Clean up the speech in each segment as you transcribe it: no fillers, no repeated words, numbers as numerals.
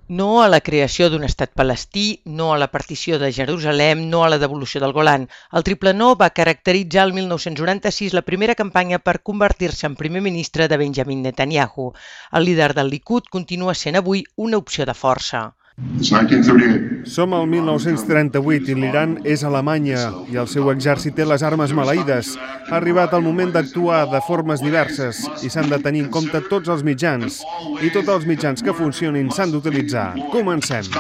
No a la creació d'un estat palestí, no a la partició de Jerusalem, no a la devolució del Golan. El triple no va caracteritzar el 1996 la primera campanya per convertir-se en primer ministre de Benjamin Netanyahu. El líder del Likud continua sent avui una opció de força. Som al 1938 i l'Iran és Alemanya i el seu exèrcit té les armes maleïdes. Ha arribat el moment d'actuar de formes diverses i s'han de tenir en compte tots els mitjans. I tots els mitjans que funcionin s'han d'utilitzar. Comencem.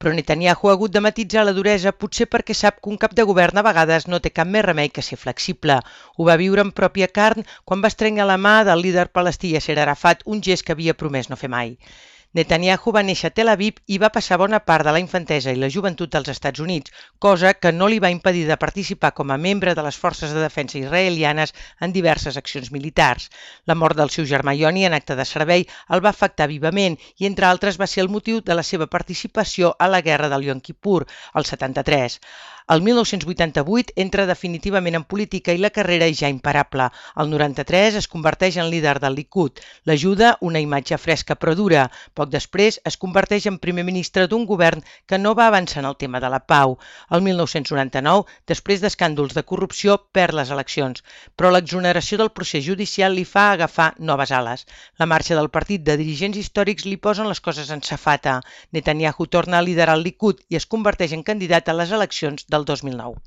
Però Netanyahu ha hagut de matisar la duresa, potser perquè sap que un cap de govern a vegades no té cap més remei que ser flexible. Ho va viure en pròpia carn quan va estrenyar la mà del líder palestí Yasser Arafat, un gest que havia promès no fer mai. Netanyahu va néixer a Tel Aviv i va passar bona part de la infantesa i la joventut als Estats Units, cosa que no li va impedir de participar com a membre de les forces de defensa israelianes en diverses accions militars. La mort del seu germà Yoni en acte de servei el va afectar vivament i, entre altres, va ser el motiu de la seva participació a la guerra del Yom Kippur, el 73. El 1988 entra definitivament en política i la carrera és ja imparable. El 93 es converteix en líder del Likud. L'ajuda una imatge fresca però dura. Poc després es converteix en primer ministre d'un govern que no va avançar en el tema de la pau. El 1999, després d'escàndols de corrupció, perd les eleccions, però l'exoneració del procés judicial li fa agafar noves ales. La marxa del partit de dirigents històrics li posen les coses en safata. Netanyahu torna a liderar el Likud i es converteix en candidat a les eleccions del 2009.